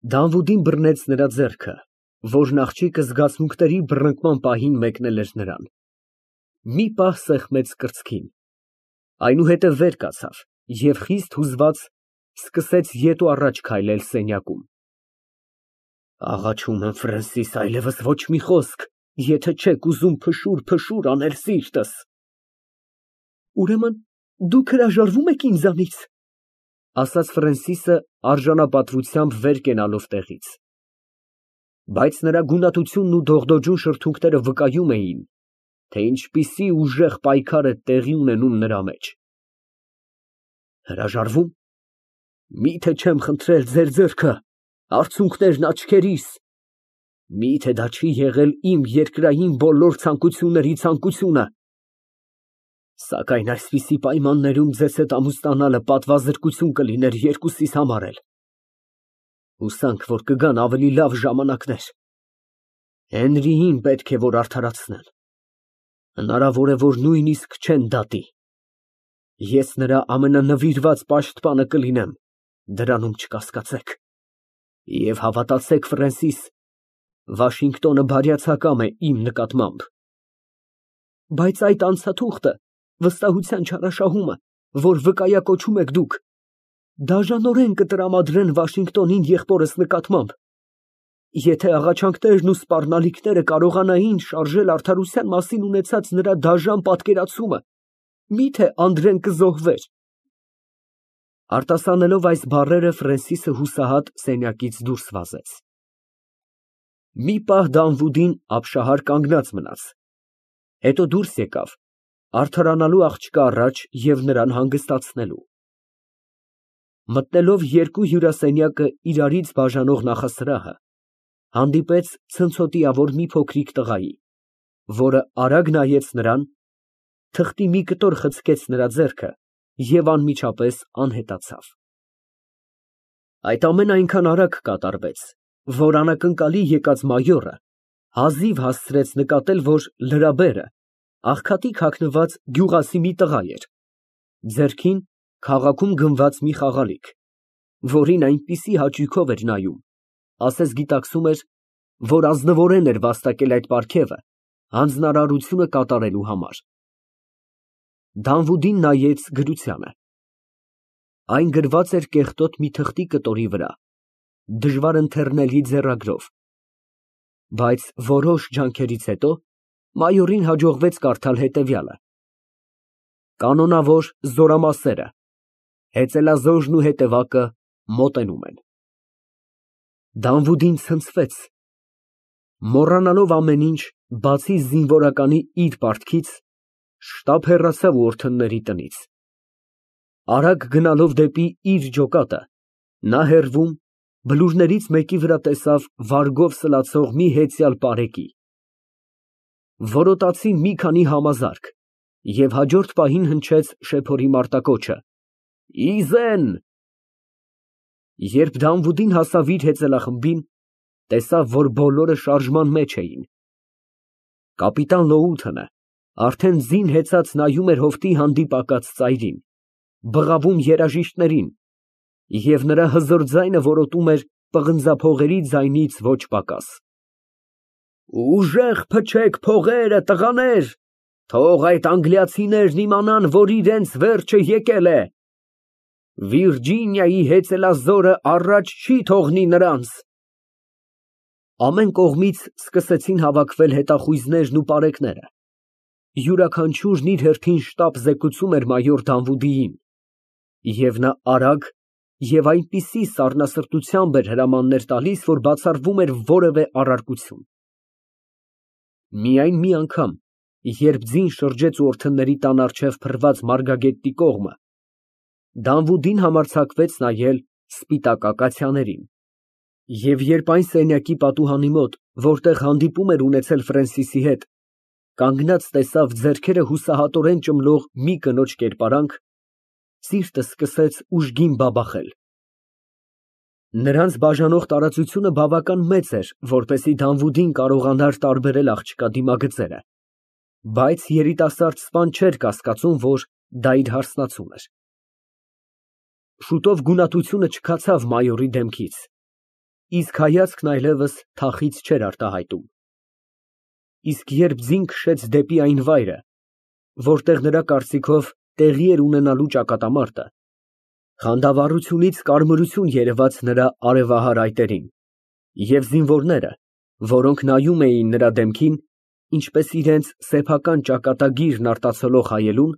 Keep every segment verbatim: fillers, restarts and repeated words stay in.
Դանվուդին բռնեց նրա ձեռքը, որն աղջիկը զգացմունքների բռնկման պահին մեկնել էր նրան, մի պահ սեղմեց կրծքին, այնուհետև վեր կացավ և խիստ հուզված սկսեց ետ ու առաջ քայլել սենյակում։ Աղաչում եմ, Ֆրենսիս, այլևս ոչ մի խոսք, եթե չեք ուզում փշուր֊փշուր անել սիրտս։ Ուրեմն դուք հրաժարվո՞ւմ եք ինձանից, ասաց Ֆրենսիսը արժանապատվությամբ վեր կենալով տեղից։ Բայց նրա գունատությունն ու դողդոջուն շրթունքները վկայում էին, թե ինչպիսի ուժեղ պայքար է տեղի ունենում նրա մեջ։ Հրաժարվո՞ւմ։ Մի՞թե չեմ խնդրել ձեր ձեռքը, արցունքներն աչքերիս, մի՞թե դա չի եղել իմ երկրային բոլոր ցանկությունների ցանկությունը։ Սակայն այսպիսի պայմաններում ձեզ հետ ամուսնանալը պատվազրկություն կլիներ երկուսիս համար էլ։ Հուսանք, որ կգան ավելի լավ ժամանակներ։ Հենրիին պետք է որ արդարացնեն։ Հնարավոր է, որ նույնիսկ չեն դատի։ Ես նրա ամենանվիրված պաշտպանը կլինեմ, դրանում չկասկածեք։ Եվ հավատացեք, Ֆրենսիս, Վաշինգտոնը բարյացակամ է իմ նկատմամբ։ Բայց այդ անցաթուղթը, վստահության չարաշահումը, որ վկայակոչում եք դուք, դաժանորեն կտրամադրեն Վաշինգտոնին եղբորս նկատմամբ։ Եթե աղաչանքներն ու սպառնալիքները կարողանային շարժել արդարության մասին ունեցած նրա դաժան պատկերացումը, մի՞թե Անդրեն կզոհվեր։ Արտասանելով այս բառերը, Ֆրենսիսը հուսահատ սենյակից դուրս վազեց։ Մի պահ Դանվուդին ապշահար կանգնած մնաց, հետո դուրս եկավ, արդարանալու աղջկա առաջ և նրան հանգստացնելու։ Մտնելով երկու հյուրասենյակը իրարից բաժանող նախասրահը, հանդիպեց ցնցոտիավոր մի փոքրիկ տղայի, որը արագ նայեց նրան, թղթի մի կտոր խցկեց նրա ձեռքը և անմիջապես անհետացավ։ Այդ ամենն այնքան արագ կատարվեց, որ անակնկալի եկած մայորը հազիվ հասցրեց նկատել, որ լրաբերը աղքատիկ հագնված գյուղասի մի տղա էր, ձեռքին քաղաքում գնված մի խաղալիք, որին այնպիսի հաճույքով էր նայում, ասես գիտակցում էր, որ ազնվորեն էր վաստակել այդ պարգևը հանձնարարությունը կատարելու համար։ Դանվուդին նայեց գրությանը։ Այն գրված էր կեղտոտ մի թղթի կտորի վրա, դժվար ընթեռնելի ձեռագրով, բայց որոշ ջանքերից հետո մայորին հաջողվեց կարդալ հետևյալը. Կանոնավոր զորամասերը, հեծելազոժն ու հետևակը մոտենում են։ Դանվուդին ցնցվեց, մոռանալով ամեն ինչ, բացի զինվորականի իր պարտքից, շտապ հեռացավ որդնների տնից։ Արագ գնալով դեպի իր ջոկատը, նա հեռվում բլուրներից մեկի վրա տեսավ վարգով սլացող մի հեծյալ պարեկի։ Որոտացին մի քանի համազարկ և հաջորդ պահին հնչեց շեփորի մարտակոչը. «Իզեն»։ Երբ Դանվուդին հասավ իր հեծելախմբին, տեսավ, որ բոլորը շարժման մեջ էին։ Կապիտան Լոութոնը արդեն զին հեծած նայում էր հովտի հանդիպակաց ծայրին, բղավում երաժիշտներին, և նրա հզոր ձայնը որոտում էր պղնձափողերի ձայնից ոչ պակաս։ Ուժեղ փչեք փողերը, տղաներ, թող այդ անգլիացիներն իմանան, որ իրենց վերջը եկել է։ Վիրջինիայի հեծելազորը առաջ չի թողնի նրանց։ Ամեն կողմից սկսեցին հավաքվել հետախույզներն ու պարեկները։ Յուրաքանչյուրն իր հերթին շտապ զեկուցում էր մայոր Դանվուդիին, և նա արագ և այնպիսի սառնասրտությամբ էր հրամաններ տալիս, որ բացառվում էր որևէ առարկություն։ Միայն մի անգամ, երբ ձին շրջեց որդնների տան առջև փռված մարգագետնի կողմը, Դանվուդին համարձակվեց նայել սպիտակ ակացիաներին, և երբ այն սենյակի պատուհանի մոտ, որտեղ հանդիպում էր ունեցել Ֆրենսիսի հետ, կանգնած տեսավ ձեռքերը հուսահատորեն ճմլող մի կնոջ կերպարանք, սիրտը սկսեց ուժգին բաբախել։ Նրանց բաժանող տարածությունը բավական մեծ էր, որպեսզի Դանվուդին կարողանար տարբերել աղջկա դիմագծերը, բայց երիտասարդ սպան չէր կասկածում, որ դա իր հարսնացուն էր։ Շուտով գունատությունը չքացավ մայորի դեմքից, իսկ հայացքն այլևս թախից չէր արտահայտում։ Իսկ երբ ձին քշեց դեպի այն վայրը, որտեղ նրա կարծիքով տեղի էր ունենալու ճակատամարտը, խանդավառությունից կարմրություն երևաց նրա արևահար այտերին, և զինվորները, որոնք նայում էին նրա դեմքին, ինչպես իրենց սեփական ճակատագիրն արտացոլող հայելուն,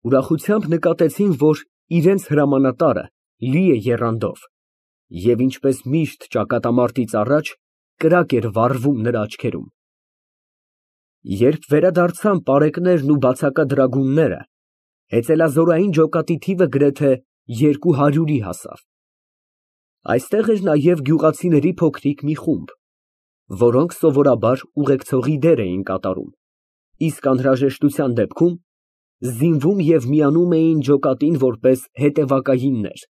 ուրախությամբ նկատեցին, որ իրենց հրամանատարը լի է եռանդով և ինչպես միշտ ճակատամարտից առաջ, կրակ էր վառվում նրա աչքերում։ Երբ վերադարձան պարեկներն ու բացակադրագունները, հեծելազորային ջոկատի թիվը գրեթե երկու հարյուրի հասավ։ Այստեղ էր նաև գյուղացիների փոքրիկ մի խումբ, որոնք սովորաբար ուղեկցողի դեր էին կատարում, իսկ անհրաժեշտության դեպքում զինվում և միանում էին ջոկատին որպես հետևակայիններ։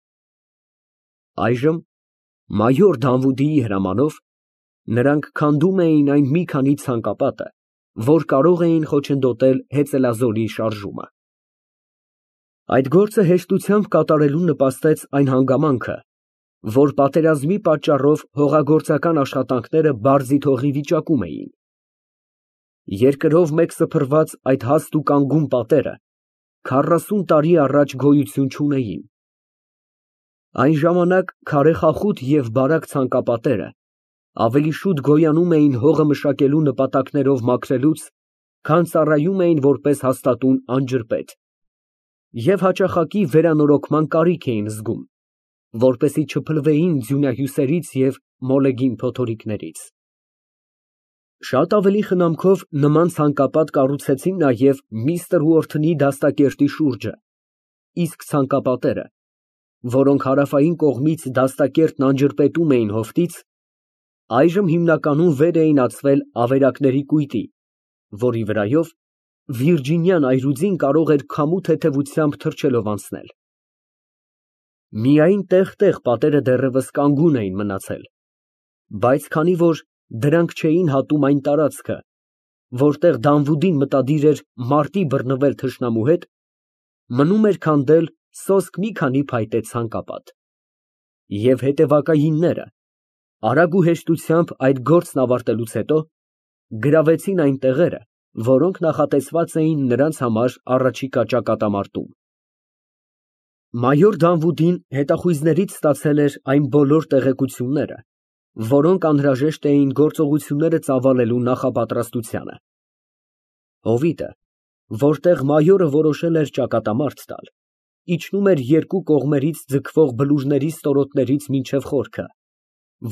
Այժմ մայոր Դավուդիի հրամանով նրանք քանդում էին այն մի քանի ցանկապատը, որ կարող էին խոչընդոտել հեծելազորի շարժումը։ Այդ գործը հեշտությամբ կատարելուն նպաստեց այն հանգամանքը, որ պատերազմի պատճառով հողագործական աշխատանքները բարձիթ հողի վիճակում էին։ Երկրով մեկ սփռված այդ հաստ ու կանգուն պատերը քառասուն տարի առաջ գոյություն չունեին։ Այն ժամանակ քարե խախուտ և բարակ ցանկապատերը ավելի շուտ գոյանում էին հողը մշակելու նպատակներով մաքրելուց, քան ծառայում էին որպես հաստատուն անջրպետ, և հաճախակի վերանորոգման կարիք էին զգում, որպեսզի չփլվեին ձյունահյուսերից և մոլեգին փոթորիկներից։ Շատ ավելի խնամքով նման ցանկապատ կառուցեցին նաև միստր Ուորթոնի դաստակերտի շուրջը, իսկ ցանկապատերը, որոնք հարավային կողմից դաստակերտն անջրպետում էին հովտից, այժմ հիմնականում վեր էին ածվել ավերակների կույտի, որի վրայով Վիրջինյան այրուձին կարող էր քամու թեթևությամբ թռչելով անցնել։ Միայն տեղ֊տեղ պատերը դեռևս կանգուն էին մնացել, բայց քանի որ դրանք չէին հատում այն տարածքը, որտեղ Դավուդին մտադիր էր մարտի բռնվել թշնամու հետ, մնում էր քանդել սոսկ մի քանի փայտե ցանկապատ։ Եվ հետևակայինները, արագ ու հեշտությամբ այդ գործն ավարտելուց հետո, գրավեցին այն տեղերը, որոնք նախատեսված էին նրանց համար առաջիկա ճակատամարտում։ Մայոր Դավուդին հետախույզներից ստացել էր այն բոլոր տեղեկությունները, որոնք անհրաժեշտ էին գործողությունները ծավալելու նախապատրաստությանը։ Հովիտը, որտեղ մայորը որոշել էր ճակատամարտ տալ, իջնում էր երկու կողմերից ձգվող բլուրների ստորոտներից մինչև խորքը,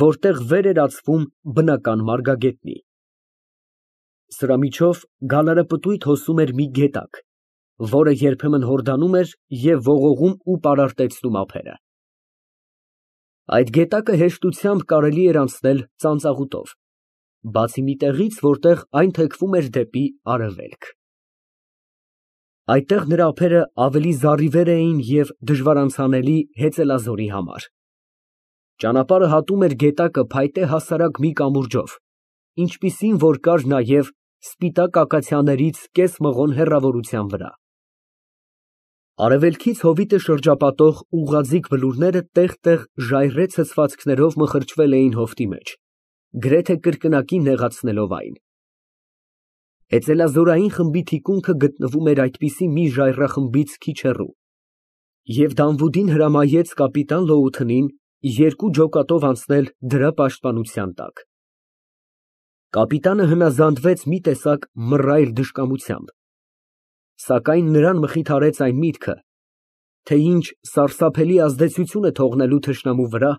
որտեղ վեր էր ածվում բնական մարգագետնի։ Սրա միջով գալարապտույտ հոսում էր մի գետակ, որը երբեմն հորդանում էր և ողողում ու պարարտեցնում ափերը։ Այդ գետակը հեշտությամբ կարելի էր անցնել ծանծաղուտով, բացի մի տեղից, որտեղ այն թեքվում էր դեպի արևելք։ Այդտեղ նրա ափերը ավելի զառիվեր էին և դժվարանցանելի հեծելազորի համար։ Ճանապարհը հատում էր գետակը փայտե հասարակ մի կամուրջով, ինչպիսին որ կար նաև սպիտակ ակացիաներից կես մղոն հեռավորության վրա։ Արևելքից հովիտը շրջապատող ուղղաձիգ բլուրները տեղ֊տեղ ժայռե ցցվածքներով մխրճվել էին հովտի մեջ, գրեթե կրկնակի նեղացնելով այն։ Հեծելազորային խմբի թիկունքը գտնվում էր այդպիսի մի ժայռախմբից քիչ հեռու, և Դավուդին հրամայեց կապիտան Լոութընին երկու ջոկատով անցնել դրա պաշտպանության տակ։ Կապիտանը հնազանդվեց մի տեսակ մռայլ դժկամությամբ, սակայն նրան մխիթարեց այն միտքը, թե ինչ սարսափելի ազդեցություն է թողնելու թշնամու վրա,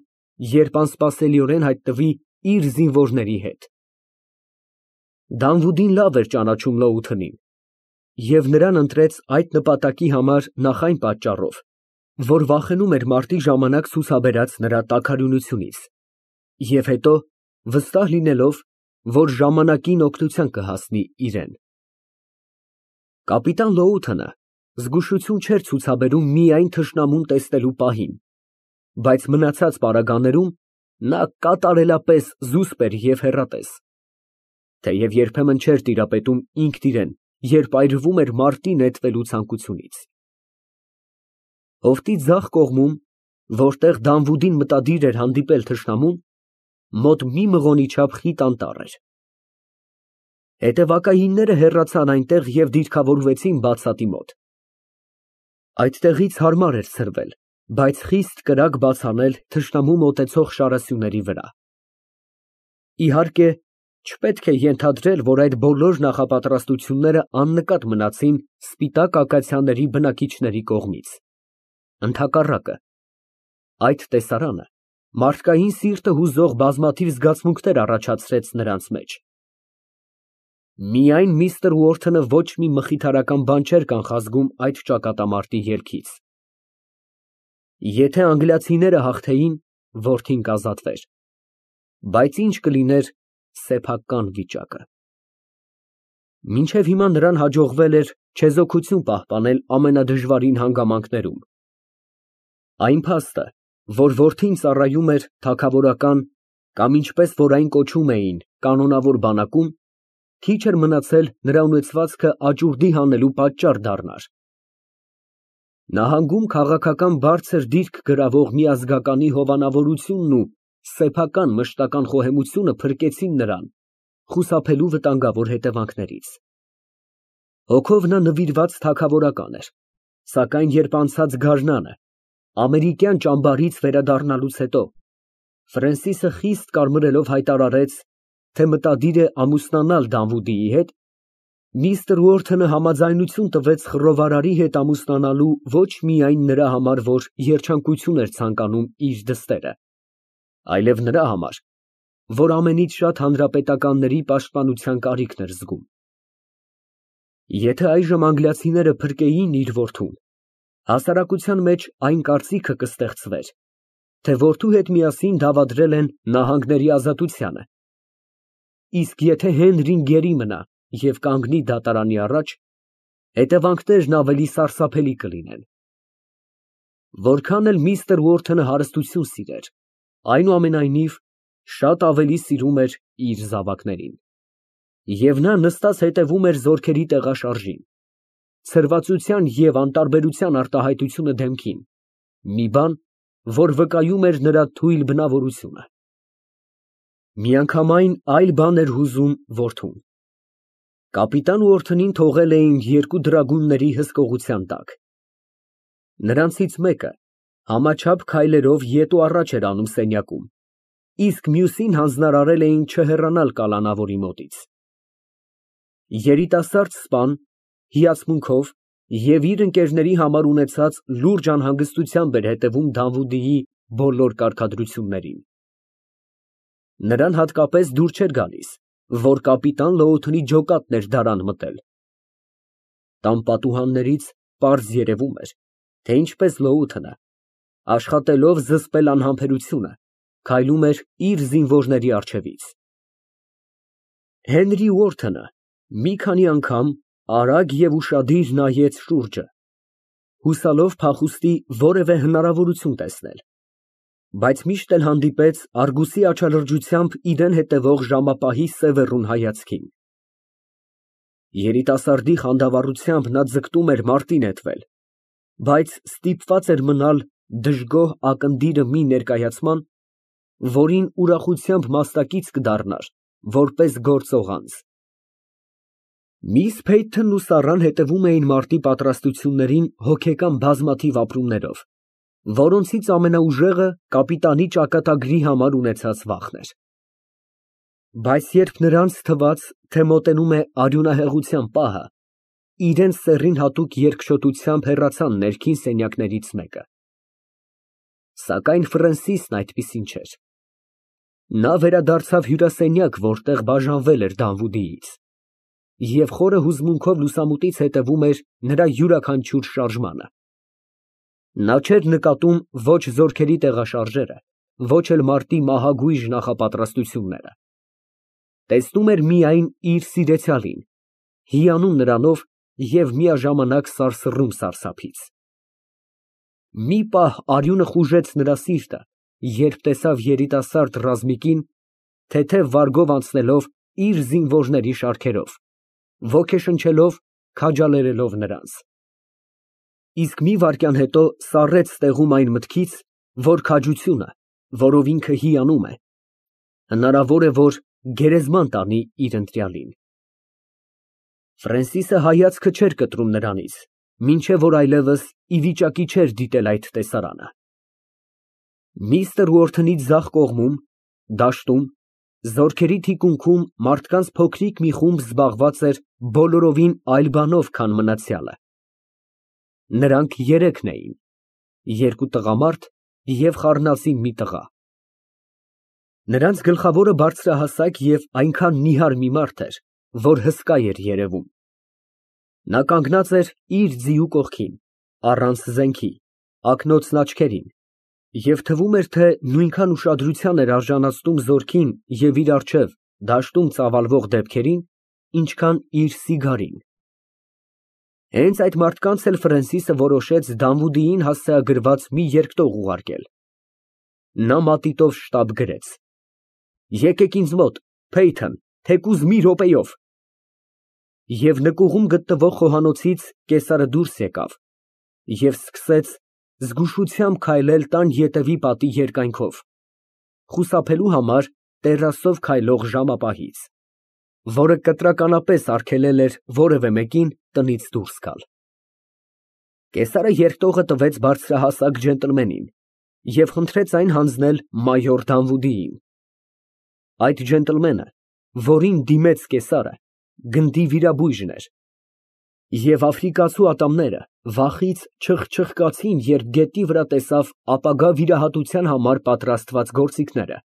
երբ անսպասելիորեն հայտնվի իր զինվորների հետ։ Դավուդին լավ էր ճանաչում Լոութընին և նրան ընտրեց այդ նպատակի համար նախ այն պատճառով, որ վախենում էր մարտի ժամանակ ցուցաբերած նրա տաքարյունությունից, և հետո վստահ լինելով, որ ժամանակին օգնության կհասնի իրան։ Կապիտան Լոութընը զգուշություն չէր ցուցաբերում միայն թշնամուն տեսնելու պահին, բայց մնացած պարագաներում նա կատարելապես զուսպ էր և հեռատես, թեև երբեմն չէր տիրապետում ինքն իրան, երբ այրվում էր մարտի նետվելու ցանկությունից։ Հովտի ձախ կողմում, որտեղ Դավուդին մտադիր էր հանդիպել թշնամուն, Մոտ մի մղոնի չափ խիտ անտառ էր։ Հետևակայինները հեռացան այնտեղ և դիրքավորվեցին բացատի մոտ։ Այդտեղից հարմար էր ցրվել, բայց խիստ կրակ բաց անել թշնամու մոտեցող շարասյուների վրա։ Իհարկե, չպետք է ենթադրել, որ այդ բոլոր նախապատրաստությունները աննկատ մնացին սպիտակ ակացիաների բնակիչների կողմից։ Ընդհակառակը, այդ տեսարանը մարդկային սիրտը հուզող բազմաթիվ զգացմունքներ առաջացրեց նրանց մեջ։ Միայն միստր Ուորթոնը ոչ մի մխիթարական բան չէր կանխազգում այդ ճակատամարտի ելքից։ Եթե անգլիացիները հաղթեին, որդին կազատվեր, բայց ինչ կլիներ սեփական վիճակը։ Մինչև հիմա նրան հաջողվել էր չեզոքություն պահպանել ամենադժվարին հանգամանքներում։ Այն փաստը, որ որդին ծառայում էր թագավորական կամ ինչպես որ այն կոչում էին կանոնավոր բանակում, քիչ էր մնացել նրա ունեցվածքը աճուրդի հանելու պատճառ դառնար։ Նահանգում քաղաքական բարձր դիրք գրավող մի ազգականի հովանավորությունն ու սեփական մշտական խոհեմությունը փրկեցին նրան խուսափելու վտանգավոր հետևանքներից։ Հոգով նա նվիրված թագավորական էր, սակայն երբ անցած գարնանը ամերիկյան ճամբարից վերադառնալուց հետո Ֆրենսիսը խիստ կարմրելով հայտարարեց, թե մտադիր է ամուսնանալ Դանվուդիի հետ, միստր Ուորթոնը համաձայնություն տվեց խռովարարի հետ ամուսնանալու ոչ միայն նրա համար, որ երջանկություն էր ցանկանում իր դստերը, այլև նրա համար, որ ամենից շատ հանրապետականների պաշտպանության կարիքն էր զգում։ Եթե այժմ անգլիացիները փրկեին իր որդուն, հասարակության մեջ այն կարծիքը կստեղծվեր, թե որդու հետ միասին դավադրել են նահանգների ազատությանը, իսկ եթե Հենրին գերի մնա և կանգնի դատարանի առաջ, հետևանքներն ավելի սարսափելի կլինեն։ Որքան էլ միստր Ուորթոնը հարստություն սիրեր, այնուամենայնիվ շատ ավելի սիրում էր իր զավակներին։ Եվ նա նստած հետևում էր զորքերի տեղաշարժին, ցրվածության և անտարբերության արտահայտությունը դեմքին, մի բան, որ վկայում էր նրա թույլ բնավորությունը։ Միանգամայն այլ բան էր հուզում որդուն։ Կապիտան Ուորթոնին թողել էին երկու դրագունների հսկողության տակ։ Նրանցից մեկը համաչափ քայլերով ետու առաջ էր անում սենյակում, իսկ մյուսին հանձնարարել էին չհեռանալ կալանավորի մոտից։ Երիտասարդ սպան հիացմունքով և իր ընկերների համար ունեցած լուրջ անհանգստությամբ էր հետևում Դանվուդիի բոլոր կարգադրություններին։ Նրան հատկապես դուր չէր գալիս, որ կապիտան Լոութոնի ջոկատն էր դարան մտել։ Տան պատուհաններից պարզ երևում էր, թե ինչպես Լոութոնը, աշխատելով զսպել անհամբերությունը, քայլում էր իր զինվորների առջևից։ Հենրի Ուորթոնը մի քանի անգամ արագ և ուշադիր նայեց շուրջը, հուսալով փախուստի որևէ հնարավորություն տեսնել, բայց միշտ էլ հանդիպեց արգուսի աչալրջությամբ իրան հետևող ժամապահի սևեռուն հայացքին։ Երիտասարդի խանդավառությամբ նա ձգտում էր մարտի նետվել, բայց ստիպված էր մնալ դժգոհ ակնդիրը մի ներկայացման, որին ուրախությամբ մասնակից կդառնար որպես գործող անձ։ Միս Փեյթոնն ու Սառան հետևում էին մարտի պատրաստություններին հոգեկան բազմաթիվ ապրումներով, որոնցից ամենաուժեղը կապիտանի ճակատագրի համար ունեցած վախն էր։ Բայց երբ նրանց թվաց, թե մոտենում է արյունահեղության պահը, իրենց սեռին հատուկ երկչոտությամբ հեռացան ներքին սենյակներից մեկը։ Սակայն Ֆրենսիսն այդպիսին չէր։ Նա վերադարձավ հյուրասենյակ, որտեղ բաժանվել էր Դանվուդիից, և խորը հուզմունքով լուսամուտից հետևում էր նրա յուրաքանչյուր շարժմանը։ Նա չէր նկատում ոչ զորքերի տեղաշարժերը, ոչ էլ մարտի մահագույժ նախապատրաստությունները։ Տեսնում էր միայն իր սիրեցյալին, հիանում նրանով և միաժամանակ սարսռում սարսափից։ Մի պահ արյունը խուժեց նրա սիրտը, երբ տեսավ երիտասարդ ռազմիկին, թեթև վարգով անցնելով իր զինվորների շարքերով, ոգեշնչելով, քաջալերելով նրանց։ Իսկ մի վայրկյան հետո սառեց տեղում այն մտքից, որ քաջությունը, որով ինքը հիանում է, Հնարավոր է, որ գերեզման տանի իր ընտրյալին։ Ֆրենսիսը հայացքը չէր կտրում նրանից, մինչև որ այլևս ի վիճակի չէր դիտել այդ տեսարանը։ Միստր Ուորթոնի ձախ կողմում, դաշտում, զորքերի թիկունքում մարդկանց փոքրիկ մի խումբ զբաղված էր բոլորովին այլ բանով, քան մնացյալը։ Նրանք երեքն էին, երկու տղամարդ և խառնածին մի տղա։ Նրանց գլխավորը բարձրահասակ և այնքան նիհար մի մարդ էր, որ հսկա էր երևում։ Նա կանգնած էր իր ձիու կողքին, առանց զենքի, ակնոցն աչքերին, և թվում էր, թե նույնքան ուշադրության էր արժանացնում զորքին և իր առջև դաշտում ծավալվող դեպքերին, ինչքան իր սիգարին։ Հենց այդ մարդկանց էլ Ֆրենսիսը որոշեց Դանվուդիին հասցեագրված մի երկտող ուղարկել։ Նա մատիտով շտապ գրեց. «Եկեք ինձ մոտ, Փեյթոն, թեկուզ մի րոպեով»։ Եվ նկուղում գտնվող խոհանոցից կեսարը դուրս եկավ և սկսեց զգուշությամբ քայլել տան ետևի պատի երկայնքով, խուսափելու համար տեռասով քայլող ժամապահից, որը կտրականապես արգելել էր որևէ մեկին տնից դուրս գալ։ Կեսարը երկտողը տվեց բարձրահասակ ջենտլմենին և խնդրեց այն հանձնել մայոր Դանվուդիին։ Այդ ջենտլմենը, որին դիմեց կեսարը, գնդի վիրաբույժն էր, և աֆրիկացու ատամները վախից չխչխկացին, երբ գետնի վրա տեսավ ապագա վիրահատության համար պատրաստված գործիքները։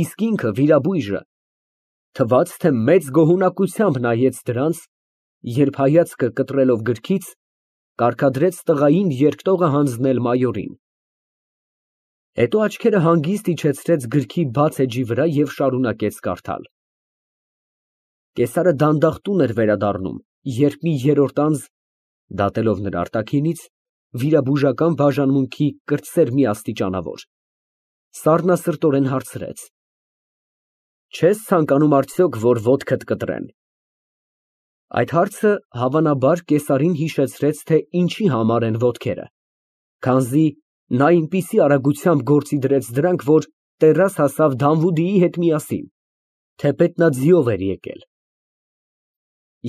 Իսկ ինքը, վիրաբույժը, թվաց, թե մեծ գոհունակությամբ նայեց դրանց, երբ հայացքը կտրելով գրքից, կարգադրեց տղային երկտողը հանձնել մայորին։ Հետո աչքերը հանգիստ իջեցրեց գրքի բաց էջի վրա և շարունակեց կարդալ։ Կեսարը դանդաղ տուն էր վերադառնում, երբ մի երրորդ անձ, դատելով նրա արտաքինից, վիրաբուժական բաժանմունքի կրտսեր մի աստիճանավոր, սառնասրտորեն հարցրեց. «Չե՞ս ցանկանում արդյոք, որ ոտքդ կտրեն»։ Այդ հարցը, հավանաբար, կեսարին հիշեցրեց, թե ինչի համար են ոտքերը, քանզի նա այնպիսի արագությամբ գործի դրեց դրանք, որ տեռաս հասավ Դանվուդիի հետ միասին, թեպետ նա ձիով էր եկել։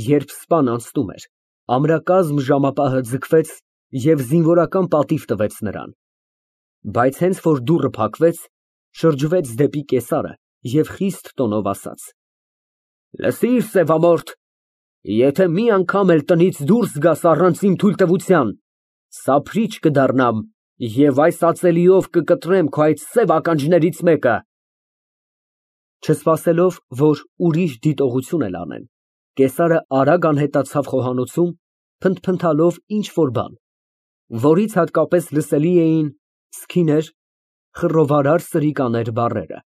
Երբ սպան անցնում էր, ամրակազմ ժամապահը ձգվեց և զինվորական պատիվ տվեց նրան, բայց հենց որ դուռը փակվեց, շրջվեց դեպի կեսարը և խիստ տոնով ասաց. «Լսիր, սևամորթ, եթե մի անգամ էլ տնից դուրս գաս առանց իմ թույլտվության, սափրիչ կդառնամ և այս ածելիով կկտրեմ քո այդ սև ականջներից մեկը»։ Չսպասելով, որ ուրիշ դիտողություն էլ անեն, կեսարը արագ անհետացավ խոհանոցում, փնթփնթալով ինչ֊որ բան, որից հատկապես լսելի էին «սքիներ», «խռովարար սրիկաներ» բառերը։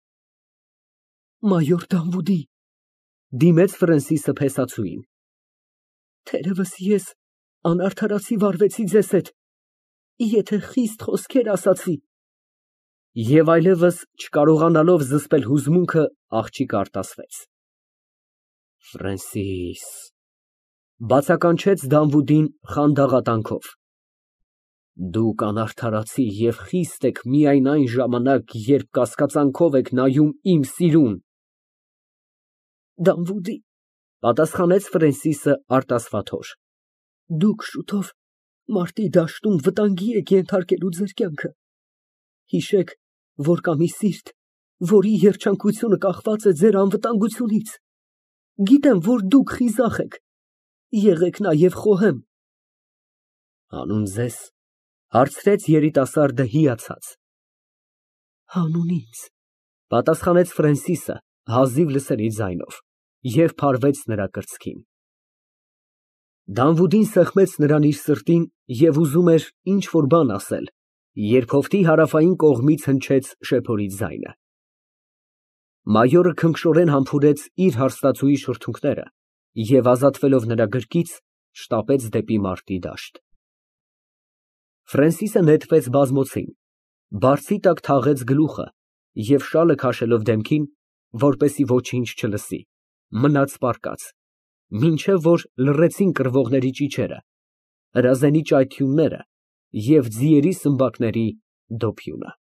«Մայոր Դանվուդի», դիմեց Ֆրենսիսը փեսացուին, «թերևս ես անարդարացի վարվեցի ձեզ հետ, եթե խիստ խոսքեր ասացի»։ Եվ այլևս չկարողանալով զսպել հուզմունքը, աղջիկը արտասվեց։ «Ֆրենսիս», բացականչեց Դանվուդին խանդաղատանքով, «դուք անարդարացի և խիստ եք միայն այն ժամանակ, երբ կասկածանքով եք նայում իմ սիրուն»։ «Դանվուդի», պատասխանեց Ֆրենսիսը արտասվաթոր, «դուք շուտով մարտի դաշտում վտանգի եք ենթարկելու ձեր կյանքը։ Հիշեք, որ կա մի սիրտ, որի երջանկությունը կախված է ձեր անվտանգությունից։ Գիտեմ, որ դուք խիզախ եք, եղեք նաև խոհեմ»։ «Հանուն ձեզ», հարցրեց երիտասարդը հիացած։ «Հանուն ինձ», պատասխանեց Ֆրենսիսը հազիվ լսելի ձայնով և փարվեց նրա կրծքին։ Դանվուդին սեղմեց նրան իր սրտին և ուզում էր ինչ֊որ բան ասել, երբ հովտի հարավային կողմից հնչեց շեփորի ձայնը։ Մայորը քնքշորեն համբուրեց իր հարստացուի շրթունքները և, ազատվելով նրա գրկից, շտապեց դեպի մարտի դաշտ։ Ֆրենսիսը նետվեց բազմոցին, բարձի տակ թաղեց գլուխը և շալը քաշելով դեմքին, որպեսզի ոչինչ չլսի, մնաց պառկած, մինչև որ լռեցին կռվողների ճիչերը, հրազենի ճայթյունները և ձիերի սմբակների դոփյունը։